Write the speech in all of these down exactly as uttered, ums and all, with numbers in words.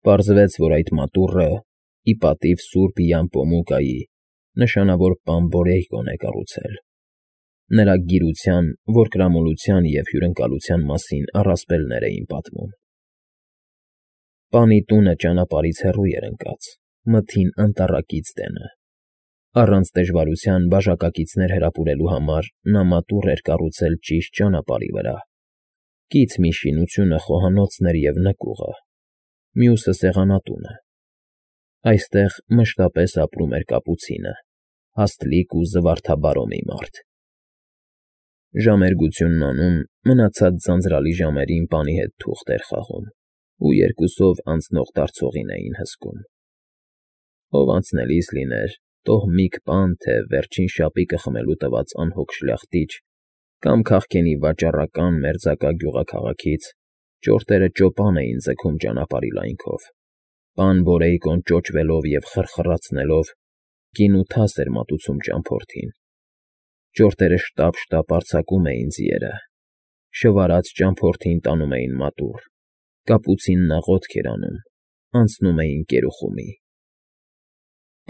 Պարզվեց, որ այդ մատուռը, ի պատիվ սուրբ Յամպոմուկայի, նշանավոր պան Բորեյկոն է կառուցել. նրա գիրության, որկրամոլության և հյուրընկալության մասին առասպելներ էին պատմում։ Պանի տունը ճանապարհից հեռու էր ընկած, մթին անտառակից դենը։ Առանց դժվարության բաժակակիցներ հրապուրելու համար նա մատուռ էր կառուցել ճիշտ ճանապարհի վրա, կից մի շինությունը խոհանոցն էր և նկուղը, մյուսը սեղանատունը։ Այստեղ մշտապես ապրում էր կապուցինը, հաստլիկ ու զվարթաբարո մի մարդ։ Ժամերգությունն անում, մնացած ձանձրալի ժամերին պանի հետ թուղթ էր խաղում ու երկուսով անցնող֊դարձողին էին հսկում։ Ով անցնելիս լիներ, տոհմիկ պան, թե վերջին շապիկը խմելու տված անհոգ շլախտիչ, կամ քաղքենի վաճառական մերձակա գյուղաքաղաքից, ճորտերը ճոպան էին ձգում ճանապարհի լայնքով։ Պան Բորեյկոն ճոճվելով և խրխրացնելով գինու թաս էր մատուցում ճամփորդին։ Ճորտերը շտապ֊շտապ արձակում էին ձիերը, շվարած ճամփորդին տանում էին մատուռ, կապուցինն աղոթք էր անում, անցնում էին կերուխումի։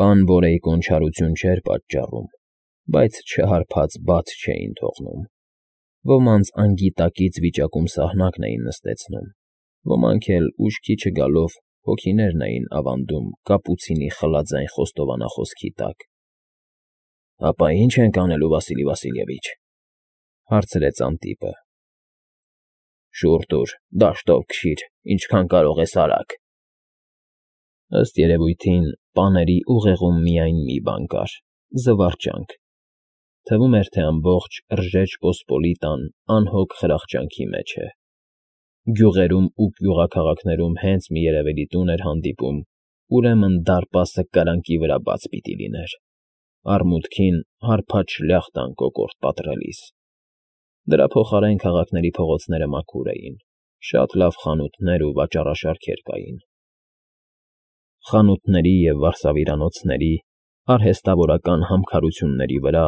Պան Բորեյկոն չարություն չէր պատճառում, բայց չհարփած բաց չէին թողնում։ Ոմանց անգիտակից վիճակում սահնակն էին նստեցնում, ոմանք էլ ուշքի չգալով հոգիներն էին ավանդում կապուցինի խլաձայն խոստովանախոսքի տակ։ ֊ Ապա ի՞նչ ենք անելու, Վասիլի Վասիլևիչ,֊ հարցրեց Անտիպը։ ֊ Շուռ տուր, դաշտով քշիր, ինչքան կարող ես արագ։ Ըստ երևույթին, պաների ուղեղում միայն մի բան կար՝ զվարճանք։ Թվում էր, թե ամբողջ Ռժեջ Պոսպոլիտան անհոգ խրախճանքի մեջ է։ Գյուղերում ու գյուղաքաղաքներում հենց մի երևելի տուն էր հանդիպում, ուրեմն դարպասը կրանքի վրա բաց պիտի լիներ, առմուտքին հարբած շլյախտան կոկորդ պատռելիս։ Դրա փոխարեն քաղաքների փողոցները մաքուր էին, շատ լավ խանութներ ու վաճառաշարքեր կային։ Խանութների և վարսավիրանոցների, արհեստավորական համքարությունների վրա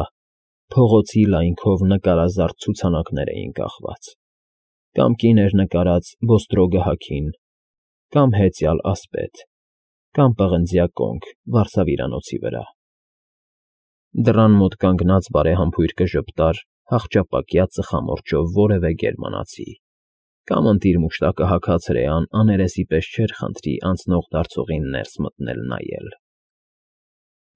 փողոցի լայնքով նկարազարդ ցուցանակներ էին կախված, կամ կին էր նկարած բոստրոգը հագին, կամ հեծյալ ասպետ, կամ պղնձյա կոնք վարսավիրանոցի վրա։ Դռան մոտ կանգնած բարեհամբույր կժպտար հախճապակյա ծխամորճով որևէ գերմանացի, կամ ընտիր մուշտակը հագած հրեան աներեսի պես չէր խնդրի անցնող֊դարձողին ներս մտնել նայել։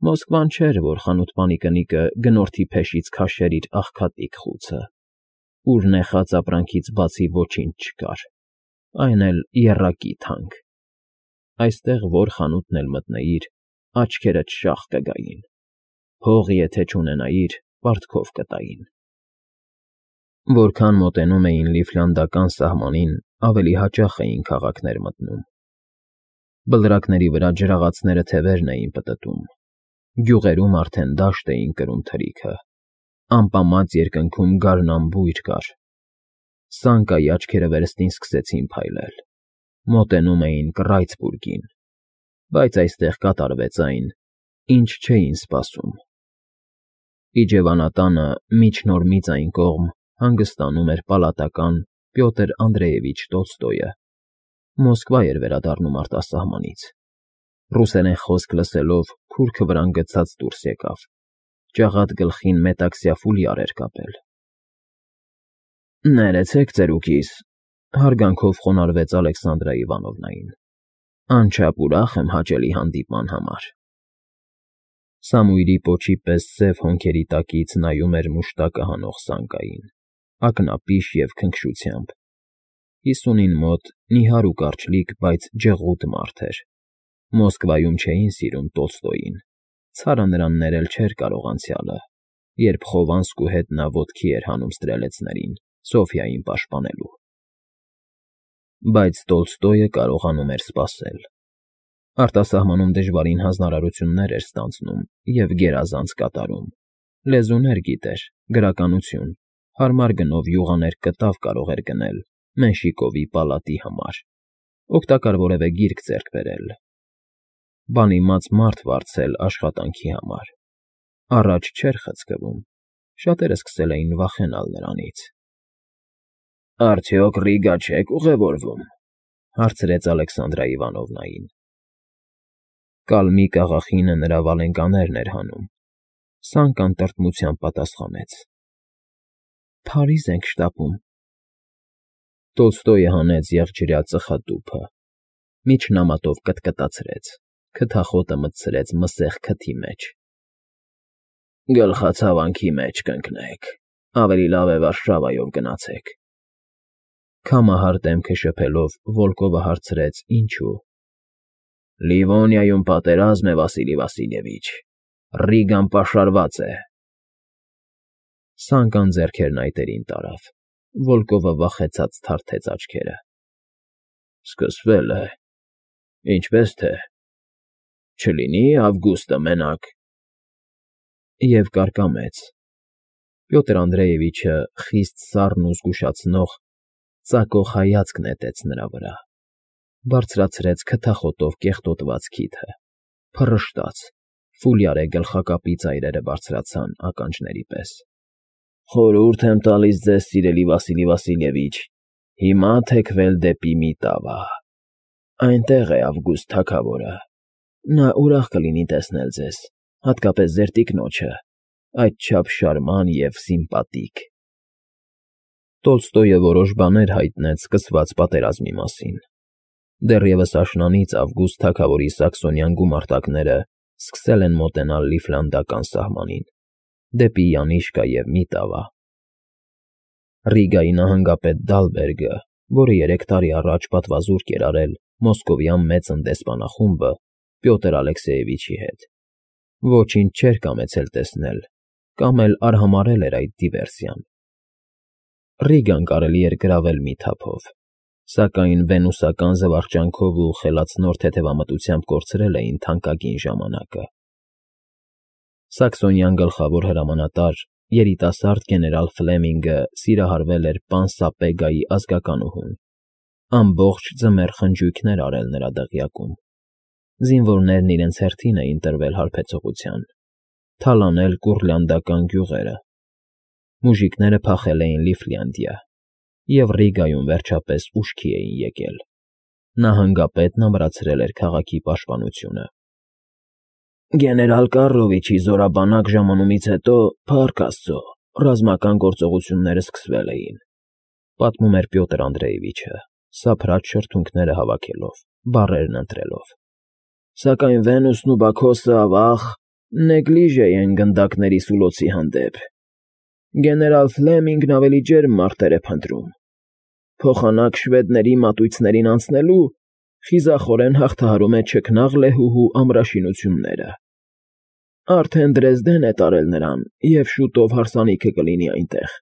Մոսկվան չէր, որ խանութպանի կնիկը գնորդի փեշից քաշեր իր աղքատիկ խուցը, ուր նեխած ապրանքից բացի ոչինչ չկար, այն էլ եռակի թանկ։ Այստեղ որ խանութն էլ մտնեիր, աչքերդ շաղ կգային, փող եթե չունենայիր, պարտքով կտային։ Որքան մոտենում էին Լիֆլանդական սահմանին, ավելի հաճախ էին քաղաքներ մտնում։ Բլրակների վրա ջրաղացները թևերն էին պտտում, գյուղերում արդեն դաշտ էին կրում թրիքը, ամպամած երկնքում գարնանբույր կար։ Սանկայի աչքերը վերստին սկսեցին փայլել, մոտենում էին Կռայցբուրգին, բայց այստեղ կատարվեց այն, ինչ չէին սպասում։ Իջևանատանը միջնորմից այն կողմ հանգստանում էր պալատական Պյոտր Անդրեևիչ Տոլստոյը, Մոսկվա էր վերադառնում արտասահմանից։ Ռուսերեն խոսք լսելով քուրքը վրան գցած դուրս եկավ, ջաղատ գլխին մետաքսյա ֆուլյար էր կապել։ ֊ Ներեցեք ծերուկիս,֊ հարգանքով խոնարհվեց Ալեքսանդրա Իվանովնային,֊ անչափ ուրախ եմ հաճելի հանդիպման համար։ Սամույրի պոչի պես սև հոնքերի տակից նայում էր մուշտակը հանող Սանկային, ակնապիշ և քնքշությամբ։ Հիսունին մոտ նիհար ու կարճլիկ, բայց ջղուտ մարդ էր։ Մոսկվայում չէին սիրում Տոլստոյին, ցարը նրան ներել չէր կարող անցյալը, երբ Խովանսկու հետ նա ոտքի էր հանում ստրելեցներին՝ Սոֆիային պաշտպանելու։ Բայց Տոլստոյը կարողանում էր սպասել։ Արտասահմանում դժվարին հանձնարարություններ էր ստանձնում և գերազանց կատարում, լեզուներ գիտեր, գրականություն, հարմար գնով յուղաներ կտավ կարող էր գնել Մենշիկովի պալատի համար, օգտակար որևէ գիրք ձեռք բերել, բանիմաց մարդ վարձել աշխատանքի համար։ Առաջ չէր խցկվում, շատերը սկսել էին վախենալ նրանից։ ֊ Արդյոք Ռիգա չեք ուղևորվում,֊ հարցրեց Ալեքսանդրա Իվանովնային։ Կալմիկ աղախինը նրա վալենկաներն էր հանում, Սանկան տրտմությամբ պատասխանեց. Փարիզ ենք շտապում։ Տոլստոյը հանեց եղջյուրյա ծխատուփը, միջնամատով կտկտացրեց, քթախոտը մտցրեց մսեղ քթի մեջ։ Գլխացավանքի մեջ կընկնեք, ավելի լավ է Վարշավայով գնացեք։ Քամահար դեմքը շփելով Վոլկովը հարցրեց. Ինչու։ Լիվոնիայում պատերազմ է, Վասիլի Վասիլևիչ, Ռիգան պաշարված է։ Սանկան ձեռքերն այտերին տարավ, Վոլկովը վախեցած թարթեց աչքերը։ Սկսվել է, ինչպես թե, չլինի Ավգուստը մենակ։ Եվ կարկամեց։ Պյոտր Անդրեևիչը խիստ սառն ու զգուշացնող, ծակող հայացք նետեց նրա վրա, բարձրացրեց քթախոտով կեղտոտված քիթը, փռշտաց, ֆուլյարե գլխակապի ծայրերը բարձրացան ականջների պես։ Խորհուրդ եմ տալիս ձեզ, սիրելի Վասիլի Վասիլևիչ, հիմա թեքվել դեպի Միտավա։ Այնտեղ է Ավգուստ թագավորը։ Նա ուրախ կլինի տեսնել ձեզ, հատկապես ձեր տիկնոջը, այդչափ շարման և սիմպատիկ։ Տոլստոյը որոշ բաներ հայտնեց սկսված պատերազմի մասին։ Դեռևս աշնանից Ավգուստ թագավորի սաքսոնյան գումարտակները սկսել են մոտենալ Լիֆլանդական սահմանին, դեպի Յանիշկա և Միտավա։ Ռիգայի նահանգապետ Դալբերգը, որը երեք տարի առաջ պատվազուրկ էր արել Մոսկովյան մեծ ընդեսպանախումբը Պյոտր Ալեքսեևիչի հետ, ոչինչ չէր կամեցել տեսնել կամ էլ արհամարհել էր այդ դիվերսիան։ Ռիգան կարելի էր գրավել մի թափով, սակայն վենուսական զվարճանքով ու խելացնոր թեթևամտությամբ կորցրել էին թանկագին ժամանակը։ Սաքսոնյան գլխավոր հրամանատար, երիտասարդ գեներալ Ֆլեմինգը սիրահարվել էր պան Սապեգայի ազգականուհուն, ամբողջ ձմեռ խնջույքներ արել նրա դղյակում։ Զինվորներն իրենց հերթին էին տրվել հարբեցողության, թալանել կուռլանդական գյուղերը։ Մուժիկները փախել էին Լիֆլանդիա և Ռիգայում վերջապես ուշքի էին եկել։ Նահանգապետն ամրացրել էր քաղաքի պաշտպանությունը։ Գեներալ Կառլովիչի զորաբանակ ժամանումից հետո, փառք Աստծո, ռազմական գործողությունները սկսվել էին, պատմում էր Պյոտր Անդրեևիչը, սափրած շրթունքները հավաքելով, բառերն ընտրելով։ Սակայն Վենուսն ու Բաքոսը, ավաղ, նեգլիժե են գնդակների սուլոցի հանդեպ։ Գեներալ Ֆլեմինգն ավելի ջերմ մարտեր է փնտրում։ Փոխանակ շվեդների մատույցներին անցնելու խիզախորեն հաղթահարում է չքնաղ լեհուհու ամրաշինությունները։ Արդեն Դրեզդեն է տարել նրան, և շուտով հարսանիքը կլինի այնտեղ։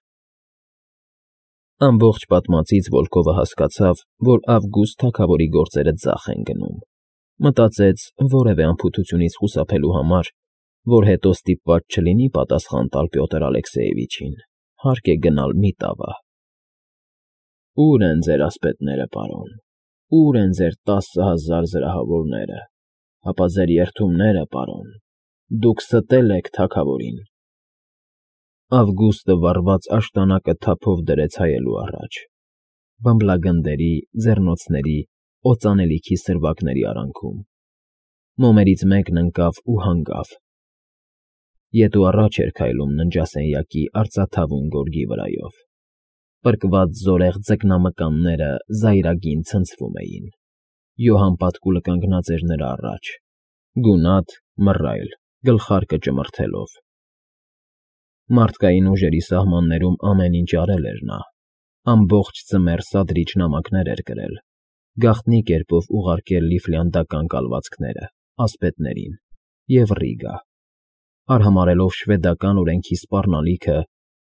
Ամբողջ պատմածից Վոլկովը հասկացավ, որ Ավգուստ թագավորի գործերը ձախ են գնում։ Մտածեց որևէ անփութությունից խուսափելու համար, որ հետո ստիպված չլինի պատասխան տալ Պյոտր Ալեքսեևիչին, հարկ է գնալ Միտավա։ Ո՞ւր են ձեր ասպետները, պարոն, ո՞ւր են ձեր տասը հազար զրահավորները, հապա ձեր երդումները, պարոն, դուք ստել եք թագավորին։ Ավգուստը վառված աշտանակը թափով դրեց հայելու առաջ, բմբլագնդերի, ձեռնոցների, օծանելիքի սրվակների արանքում։ Մոմերից մեկն ընկավ ու հանգավ։ Ետ ու առաջ էր քայլում ննջասենյակի արծաթավուն գորգի վրայով։ Պրկված զորեղ ձկնամկանները զայրագին ցնցվում էին։ Յոհան պատկուլը կանգնած էր նրա առաջ, գունատ, մռայլ, գլխարկը ճմրթելով։ Մարդկային ուժերի սահմաններում ամեն ինչ արել էր նա, ամբողջ ձմեռ սադրիչ նամակներ էր գրել, գաղտնի կերպով ուղարկել լիֆլանդական կալվածքները, ասպետներին և Ռիգա, արհամարհելով շվեդական օրենքի սպառնալիքը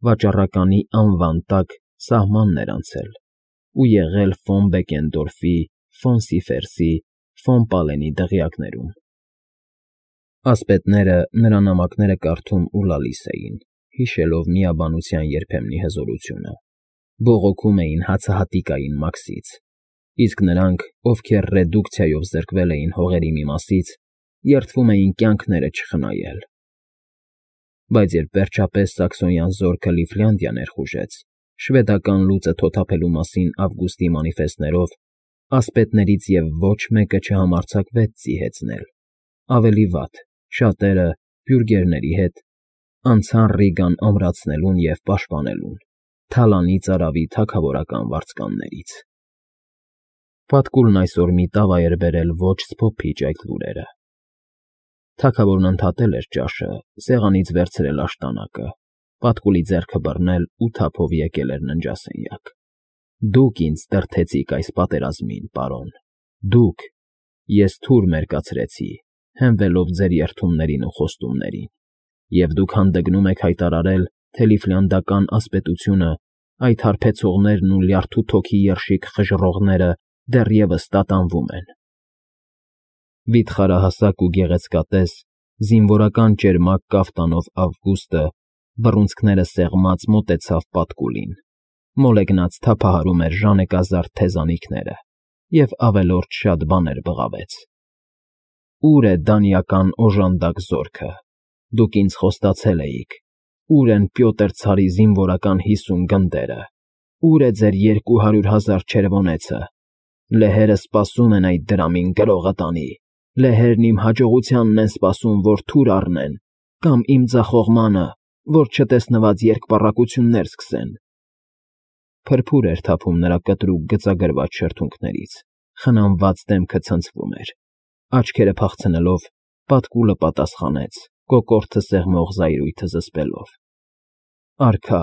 վաճառականի անվան տակ սահմանն էր անցել ու եղել ֆոն Բեկենդորֆի, ֆոն Սիֆերսի, ֆոն Պալենի դղյակներում։ Ասպետները նրա նամակները կարդում ու լալիս էին, հիշելով միաբանության երբեմնի հզորությունը, բողոքում էին հացահատիկային մաքսից, իսկ նրանք, ովքեր ռեդուկցիայով զրկվել էին հողերի մի մասից, երդվում էին կյանքները չխնայել։ Բայց երբ վերջապես սաքսոնյան զորքը Լիֆլանդիա ներխուժեց, շվեդական լուծը թոթափելու մասին Ավգուստի մանիֆեստներով, ասպետներից և ոչ մեկը չհամարձակվեց ձիհեցնել, ավելի վատ, շատերը, բյուրգերների հետ, անցան Ռիգան ամրացնելուն և պաշտպանելուն, թալանի ծարավի թագավորական վարձկաններից։ Պատկուլն այսօր մի տավա էր բերել ոչ սփոփիչ այդ լուրերը։ Թագավորն ընդհատել էր ճաշը, սեղանից վերցրել աշտանակը, Պատկուլի ձեռքը բռնել ու թափով եկել էր ննջասենյակ։ Դուք ինձ դրդեցիք այս պատերազմին, պարոն, դուք, ես թուր մերկացրեցի, հենվելով ձեր երդումներին ու խոստումներին, և դուք հանդգնում եք հայտարարել, թե Լիֆլանդական ասպետությունը, այդ հարբեցողներն ու լյարդու թոքի երշիկ խժռողները դեռևս տատանվում են։ Վիթխարահասակ ու գեղեցկատես, զինվորական ճերմակ կաֆտանով Ավգուստը, բռունցքները սեղմած, մոտեցավ Պատկուլին, մոլեգնած թափահարում էր ժանեկազարդ թեզանիքները և ավելորդ շատ բաներ բղավեց։ Ո՞ւր է դանիական օժանդակ զորքը, դուք ինձ խոստացել էիք, ո՞ւր են Պյոտր ցարի զինվորական հիսուն գնդերը, ո՞ւր է ձեր երկու հարյուր հազար չերվոնեցը։ Լեհերը սպասում են այդ դրամին գրողը տանի, լեհերն իմ հաջողությանն են սպասում, որ թուր առնեն, կամ իմ ձախողմանը, որ չտեսնված երկպառակտություններ սկսեն։ Փրփուր էր թափում նրա կտրուկ գծագրված շրթունքներից, խնամված դեմքը ցնցվում էր, աչքերը փախցնելով, Պատկուլը պատասխանեց, կոկորդը սեղմող զայրույթը զսպելով. Արքա,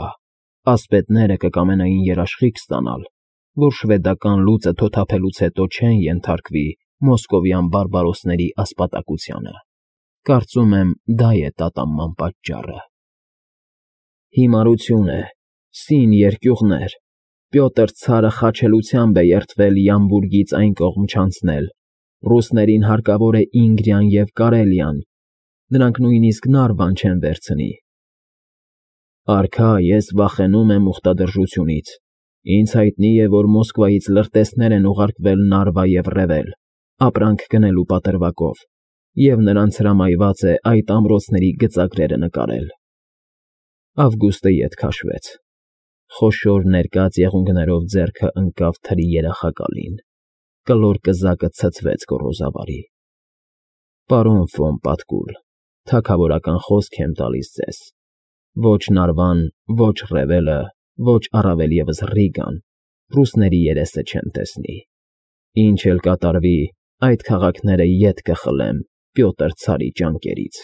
ասպետները կկամենային երաշխիք ստանալ, որ շվեդական լուծը թոթափելուց հետո չեն ենթարկվի մոսկովյան բարբարոսների ասպատակությանը։ Կարծում եմ, դա է տատանման պատճառը։ Հիմարություն է, սին երկյուղներ, Պյոտր ցարը խաչելությամբ է երդվել Յամբուրգից այն կողմ չանցնել, ռուսներին հարկավոր է Ինգրիան և Կարելիան, նրանք նույնիսկ Նարվան չեն վերցնի։ Արքա, ես վախենում եմ ուխտադրժությունից, ինձ հայտնի է, որ Մոսկվայից լրտեսներ են ուղարկվել Նարվա և Ռևել, ապրանք գնելու պատրվակով, և նրանց հրամայված է այդ ամրոցների գծագրերը նկարել։ Ավգուստը ետ քաշվեց, խոշոր ներկած եղունգներով ձեռքը ընկավ թրի երախակալին, կլոր կզակը ցցվեց գոռոզավարի։ Պարոն ֆոն Պատկուլ, թագավորական խոսք եմ տալիս ձեզ. ոչ Նարվան, ոչ Ռևելը, ոչ առավել ևս Ռիգան ռուսների երեսը չեն տեսնի։ Ինչ էլ կատարվի, այդ քաղաքները ետ կխլեմ Պյոտր ցարի ճանկերից։